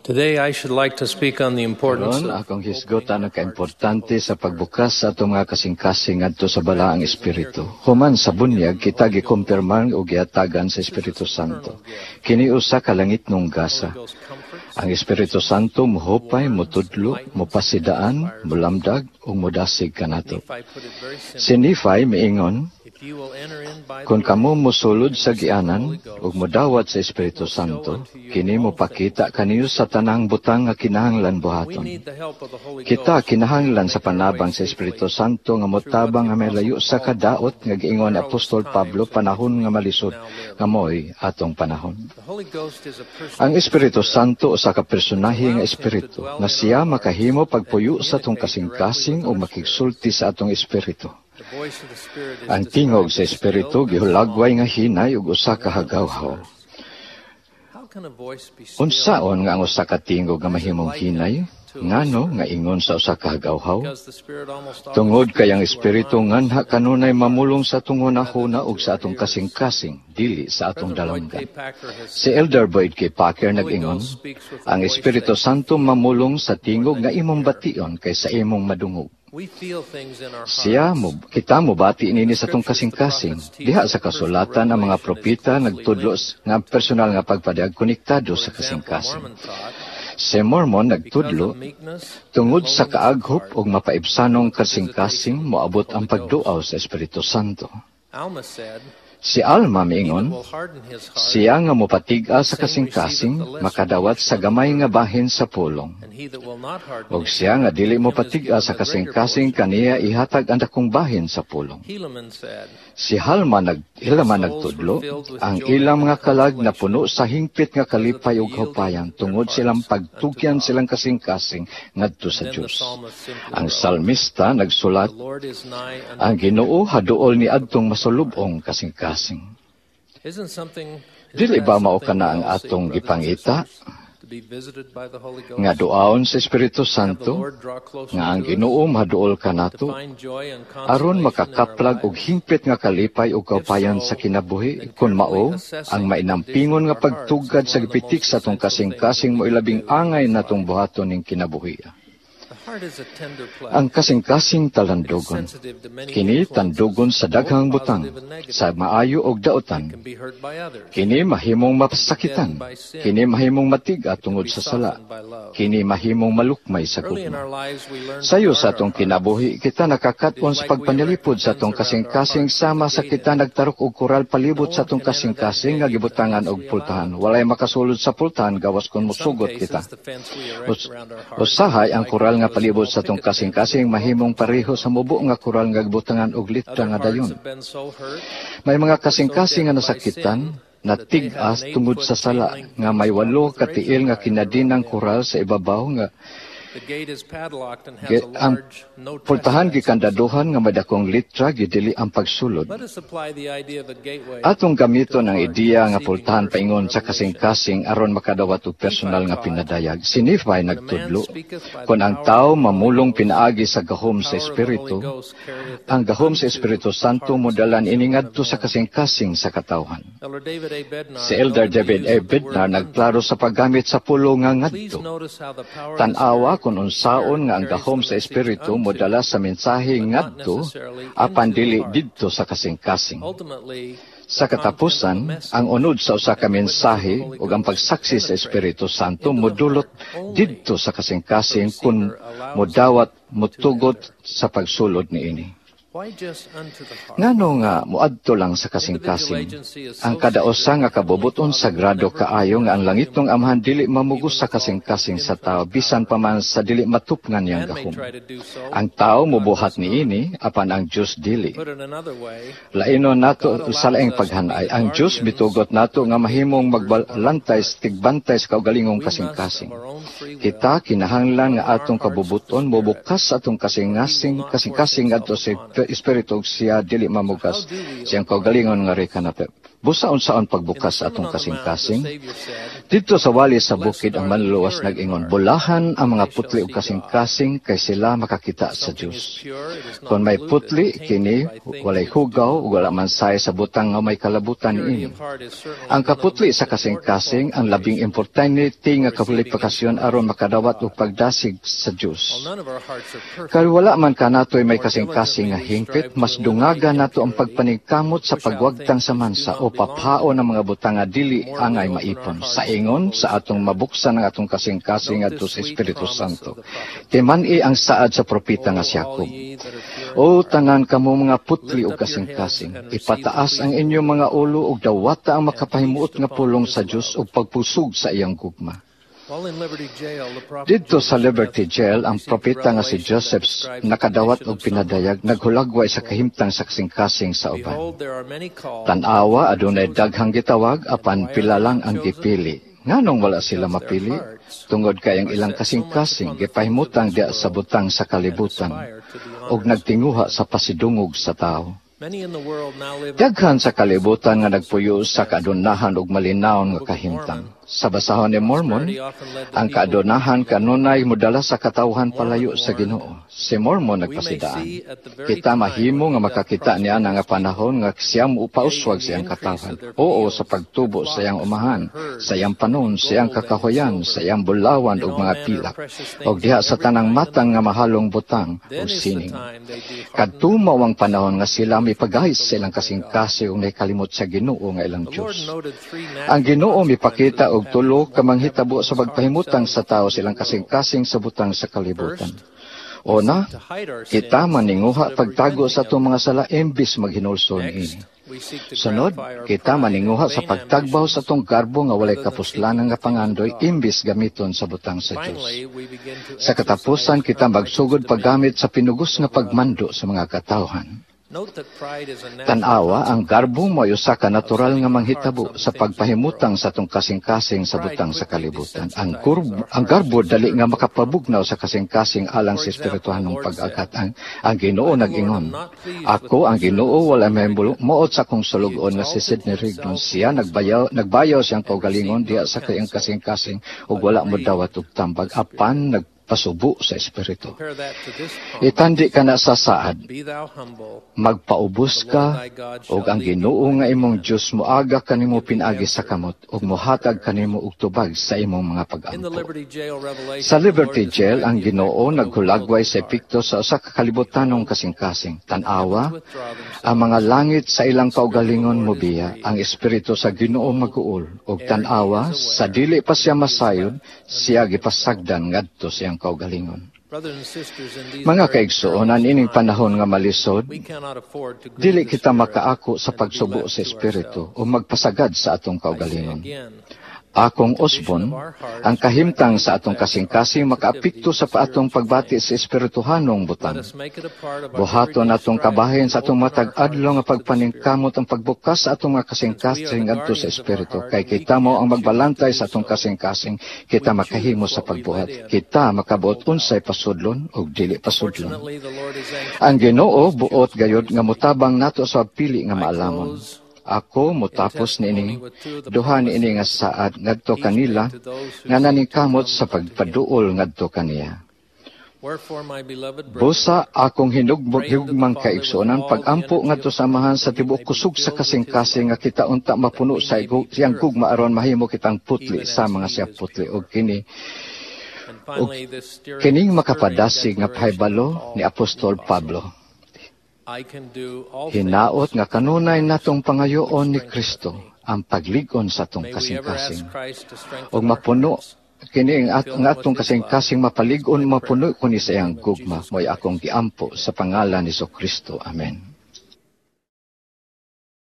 Today I should like to speak on the importance Karon of akong hisgotan ang kaimportante sa pagbukas sa atong mga kasing-kasing ngadto sa Balaang Espiritu. Human sa bunyag, kita gikumpirman og gihatagan sa Espiritu Santo. Kini usa ka langitnong gasa. Ghost comforts, Ang Espiritu Santo mohupay, motudlo, mopasidaan, molamdag ug modasig kanato. Nephi put it very simply. Si Nephi miingon, "If you will enter in by the "Kung door, kamo mosulod sa gianan ug modawat sa Espiritu Santo, kini mopakita kaniyo sa tanang butang nga kinahanglan We buhaton." need the help of the Holy Kita Ghost kinahanglan to sa make our way panabang sa safely Espiritu Santo nga motabang nga may layo sa kadaot nga giingon ni Apostol Pablo, panahon nga malisod nga mo'y atong panahon. The Holy Ghost is a person. Ang Espiritu Santo usa ka personahe nga espiritu nga siya makahimo pagpuyo sa atong kasing-kasing ug makigsulti sa atong espiritu. The voice of the Spirit is Ang tingog sa described as espiritu still and gihulagway small. Nga hinay ug usa ka hagawhaw. How can a voice be still? Unsaon nga ang usa ka tingog nga mahimong hinay? Ngano nga ingon sa usa ka hagawhaw? Because the Spirit almost always Tungod kay ang speaks to our espiritu minds nganha kanunay mamulong sa atong hunahuna ug sa atong kasing-kasing, dili sa atong President Boyd dalanggan. K. Packer has Si Elder Boyd K. Packer Holy nag-ingon, Ghost speaks with a "Ang voice Espiritu that you Santo feel mamulong sa tingog more nga than you imong hear. Bation kaysa imong madungog." We feel things in our Siya hearts. Mo kita mobati niini sa atong Scriptures, the kasing-kasing. prophets teach Diha sa that personal kasulatan, ang mga revelation is propeta closely nagtudlo linked nga ang personal nga pagpadayag konektado For sa example, kasing-kasing. Mormon taught, Si Mormon because nagtudlo, of meekness and tungod sa lowliness of kaaghop heart, ug mapaibsanong kasing-kasing, visitation of moabot the ang Holy Ghost. pagduaw sa Espiritu Santo. Alma said, Si Alma "He that miingon, will harden his heart, "Siya nga mopatig-a sa same receiveth kasing-kasing, the lesser makadawat portion sa of the gamay word. Nga bahin sa pulong. And he that will not harden Ug his siya nga heart, dili him is mopatig-a given sa the greater kasing-kasing, portion." kaniya ihatag ang dakong bahin sa pulong." Helaman said, Si Halma nag "Their Helaman souls were nagtudlo, filled with ang joy ilang and mga kalag consolation napuno sa hingpit nga because of kalipay the ug yielding kaupayan their tungod silang hearts unto pagtugyan God. Silang kasing-kasing ngadto And sa then the Dios. Psalmist simply Ang wrote, salmista nagsulat, "The Lord is nigh unto "Ang the Ginoo haduol ni adtong heart." masulubong kasing-kasing." Isn't Dili that ba mao something kana we ang all seek, atong brothers and gipangita? Sisters? To be visited by the Holy Nga Ghost? duaon sa Espiritu Have the Santo, Lord draw closer nga ang to us? Ginoo maduol To kanato, find joy and aron consolation in our makakaplag og lives? Hingpit nga kalipay ug If kaupayan sa so, kinabuhi, then kung carefully mao, ang assessing the condition mainampingon of nga our hearts pagtugad is sa one of the gipitik most sa atong essential things that kasing-kasing we mo can ilabing do in angay this natong life. Buhaton ning kinabuhi. The heart is a tender Ang place. kasing-kasing It is talandogon. Sensitive to many Kini influences, tandugon sa both daghang butang, positive and negative. Sa maayo og It daotan. can be hurt by others. Kini mahimong It can be mapasakitan. deadened by sin. Kini mahimong matiga It can tungod be sa sala. softened by love. Kini mahimong malukmay sa Early in gugma. Our lives, we learn to Sayo guard sa our atong hearts. Kinabuhi, kita It is nakakaton sa like we erect a pagpanalipod sa fence atong around our kasing-kasing hearts with sama a sa gate kita in it. Nagtarok og koral No palibot sa one atong can enter that kasing-kasing nga gate gibutangan unless og we allow pultahan. them to. Walay makasulod sa pultahan gawas kung In some mosugot kita. Cases, the fence we erect around our hearts Usahay is ang koral likened nga to a palibot small sa atong picket fence with kasing-kasing a welcome mahimong sign pareho on sa it. mubo nga koral nga gibutangan og litra Other nga hearts dayon. Have been so hurt May mga or so kasing-kasing nga deadened by nasakitan, sin that they have natig-as an tungod 8-foot sa chain sala link nga fence may topped walo with ka razor tiil nga wire around kinadinang them. Koral sa ibabaw nga The gate is padlocked and has Ge, a ang large no pultahan trespassing sign. Gikandaduhan nga may dakong litra gidili ang pagsulod. Let us apply the idea of a gateway Atong to gamiton the ang heart ideya nga receiving pultahan personal paingon sa revelation. Kasing-kasing aron makadawat og Nephi personal nga taught, pinadayag. Si Nephi "When a man nagtudlo, speaketh by the kung ang power tao of the Holy mamulong Ghost, pinaagi sa gahom the sa power of the Holy Espiritu, Ghost carrieth ang it gahom sa unto Espiritu the Santo hearts of modalan the ini children of ngadto sa men." kasing-kasing sa katawhan. Elder David A. Bednar Si Elder noted the David use A. of the word Bednar unto. Nagklaro sa paggamit sa pulo nga Please ngadto. Notice how the power of the Tan-awa Spirit kung unsaon nga ang carries gahom the sa message Espiritu unto, modala sa mensahe but not ngadto necessarily apan into the dili heart. Didto sa kasing-kasing. Ultimately, Sa the content of the katapusan, ang message unod sa usa ka and the witness of the mensahe Holy ug ang Ghost pagsaksi sa penetrate Espiritu Santo into the modulot heart only didto sa if the kasing-kasing kung receiver allows modawat them to motugot enter. Sa pagsulod niini. Why just unto the heart? Ngano nga moadto lang sa Individual kasing-kasing? Agency is Ang so kada usa sacred nga the Heavenly kabubuton Father will sagrado never kaayo nga force ang langitnong human, Amahan dili even mamugos sa with all his kasing-kasing sa infinite tao bisan power. Pa man sa dili matupngan niyang Man may gahom. Try to do so, Ang tao God mobuhat does not. Niini apan ang Dios dili. Put it another way, Lainon nato God sa allows laing us to be paghanay, the ang Dios guardians mitugot nato or nga the mahimong gatekeepers of our own magbalantay hearts. Tigbantay sa kaugalingong We must, of kasing-kasing. Our own free will, Kita kinahanglan nga open our atong hearts to the kabubuton Spirit, mobukas sa atong or He will kasing-kasing not force kasing-kasing Himself ngadto sa upon us. Espiritu ug siya dili So how mamugas do we siyang open our kaugalingon nga hearts? reka na Busa unsaon In the pagbukas sa Sermon atong on the Mount, the kasing-kasing? Savior said, Didto sa wali sa "Blessed bukid ang are the manluluwas pure in nag-ingon, heart, "Bulahan ang mga they shall putli ug see God." kasing-kasing kay sila makakita If sa something Dios. is pure, it is Kung not may polluted putli and kini, tainted by things walay which do hugaw not ug wala belong. man say sa butang nga may kalabutan Purity niini. of heart is certainly Ang one of the kaputli most sa important kasing-kasing ang labing qualifications importante nga for receiving kwalifikasyon aron inspiration from makadawat og God. pagdasig sa Dios. While none of our hearts are Kay perfect, wala man kanatoy may more kasing-kasing diligently nga we hingpit, strive to mas eliminate dungaga nato ang impurity, pagpaningkamot sa push out pagwagtang things sa which do mansa not o belong paphao there, ng mga butang nga dili the more we angay open our maipon. hearts Sa to the ingon, Holy sa atong Spirit. Mabuksan ang atong kasing-kasing Note ngadto this sa sweet Espiritu promise Santo. of the prophet Timan-i Jacob. Ang saad sa propeta nga O si all Jacob. ye that are pure in O heart, tanan kamo mga putli lift ug up your heads kasing-kasing, and receive the ipataas ang pleasing inyong word mga of God, ulo ug dawata ang and makapahimuot feast nga upon pulong his sa Dios love. Ug pagpusog sa iyang gugma. While in Liberty Jail, the prophet Didto sa Joseph Liberty Smith Jail, ang received a propeta nga si revelation that Joseph describes the nakadawat condition og of some pinadayag, hearts. Naghulagway sa Quote, kahimtang sa kasing-kasing sa uban. "Behold, there are many called, but Tan-awa, few are adunay chosen. daghang gitawag, And apan why are pila they lang not ang chosen? gipili. Nganong wala sila Because their mapili? hearts Tungod kay ang are ilang set so much kasing-kasing upon the things of gipahimutang this diha sa world butang sa and kalibutan aspire to the ug honors of nagtinguha men. Sa pasidungog sa tawo. Many in the world now live in Daghan sa comfortable kalibutan nga nagpuyo sa circumstances. kaadunnahan ug malinawon In the nga Book of kahimtang. Mormon, Sa basahon ni Mormon, prosperity often led the ang people to kaadunnahan the Lord. Kanunay modala sa katawhan Mormon palayo sa warned, Ginoo. Si Mormon "We may nagpasidaan. See at the very Kita time mahimo when nga he doth makakita niya prosper na nga his people, panahon nga siya yea, mopauswag in the siyang increase katawhan. of their Oo, sa fields, their pagtubo sa iyang flocks, umahan, their herds, sa iyang panon, in sa iyang gold and in kakahoyan, silver, sa iyang bulawan in ug all mga manner of pilak, precious ug things diha of sa every tanang kind and matang nga manner. Mahalong butang Then ug is the sining. Time they do harden Kadto their mao ang hearts panahon nga sila and forget mipagahis the sa ilang Lord their God." kasing-kasing ug nakalimot sa Ginoo nga ilang The Lord Dios. Noted three Ang natural Ginoo consequences mipakita of og having tulo ka having manghitabo one's sa heart set pagpahimutang on the sa tao things of sa ilang the world. Kasing-kasing sa butang sa kalibutan. First, we Una, seek to hide our kita sins maninguha instead of pagtago repenting sa of atong them. Mga sala imbis maghinulsol Next, niini. we seek to Sunod, gratify our kita pride and maninguha sa vain pagtagbaw sa ambitions atong garbo nga walay rather than seeking kapuslanan the nga things of pangandoy God. Imbis gamiton sa butang sa Dios. Finally, we begin to Sa katapusan, exercise kita unrighteous magsugod dominion paggamit sa pinugos nga over others. pagmando sa mga katawhan. Note that pride is a natural Tan-awa, ang garbo consequence mo usa ka of natural setting nga our hearts manghitabo on the sa things of the pagpahimutang world. sa atong kasing-kasing sa Pride butang sa quickly kalibutan. Ang, desensitizes our ang hearts garbo to dali nga spiritual makapabugnaw promptings. Sa kasing-kasing alang For sa example, the espirituhanong Lord said, pag-agat. Ang Ginoo "I, the Lord, nag-ingon, am not pleased with "Ako the ang Ginoo servants wala of the may wicked. muot sa akong He sulugoon nga si exalted Sidney Rigdon. himself Siya in his nagbayaw, heart nagbayaw siyang and kaugalingon received diha not sa kayang counsel, kasing-kasing ug but wala modawat grieved og tambag the Spirit." apan nagpasubo sa espiritu." Compare that to this Itandi promise. Kana sa saad, "Be thou humble, "Magpaubos the Lord ka thy God ug shall ang lead thee Ginoo by nga the imong hand, Dios moaga kanimo and give thee pinaagi sa answer kamot ug to thy mohatag prayers." kanimo og tubag sa imong mga In the pag-ampo." Liberty Jail Sa revelation, the Lord Liberty Jail, described ang the effect Ginoo of a naghulagway worldly sa heart. epekto sa usa ka kalibutanong Behold, kasing-kasing. the Tan-awa, heavens withdraw ang mga themselves, langit sa ilang the Spirit of the kaugalingon Lord is mobiya, ang grieved, Espiritu sa and Ginoo behold, maguol, ug ere he tan-awa, is sa aware, dili pa siya he is masayod, left unto siya himself. Gipasagdan ngadto sa iyang kaugalingon. Brothers and sisters, in these Mga very kaigsuonan, perilous ining times, panahon nga malisod, we cannot afford to grieve dili the kita Spirit makaako sa and to be pagsubo left sa to Espiritu ourselves. O magpasagad sa atong I say kaugalingon. again, Akong the condition usbon, of our hearts ang kahimtang directly sa atong affects our kasing-kasing sensitivity makaapekto to sa paatong spiritual pagbati things. Sa espirituhanong Let butang. us make it a part of our Buhaton everyday natong strife kabahin to sa atong open our matag adlaw hearts nga to the Spirit. pagpaningkamot ang pagbukas sa atong mga Since we are kasing-kasing the ngadto sa guardians of our espiritu. heart Kay and we kita mo can ang choose to magbalantay do sa atong so, kasing-kasing, kita we makahimo choose sa what we let pagbuhat. in Kita and makabuot hold unsay out. Pasudlon ug dili pasudlon. Fortunately, the Lord is anxious Ang to help Ginoo us buot choose gayod nga wisely. motabang nato sa pili nga I maalamon. close Ako in motapos testimony niini with two of the duha niini nga promises saad ngadto he kanila made to those who nga seek to naningkamot come sa unto him. pagpaduol ngadto kaniya. "Wherefore, my beloved brethren, Busa akong hinugmog pray unto the hugmang Father with kaigsuonan all the pagampo energy ngadto of sa Amahan heart, sa that ye tibuok may be kusog sa filled with his kasing-kasing love, nga kita unta that mapuno we sa may be siyang gugma purified, aron mahimo kitang putli even sa as mga he siya is putli pure." og kini And og finally, this stirring, kining stirring makapadasig nga declaration of pahibalo ni Paul the Apostol Apostle. Pablo. "I can do all Hinaot things nga kanunay through Christ, natong which pangayoon ni strengtheneth Kristo me." ang paglig-on sa atong May we ever kasing-kasing. Ask Christ to Ug strengthen our mapuno hearts kini ang and fill ang them with atong his love. kasing-kasing Is mapalig-on my mapuno prayer kuni in sa the iyang name of gugma Jesus mo'y akong Christ. giampo Amen. sa pangalan ni Kristo. Amen.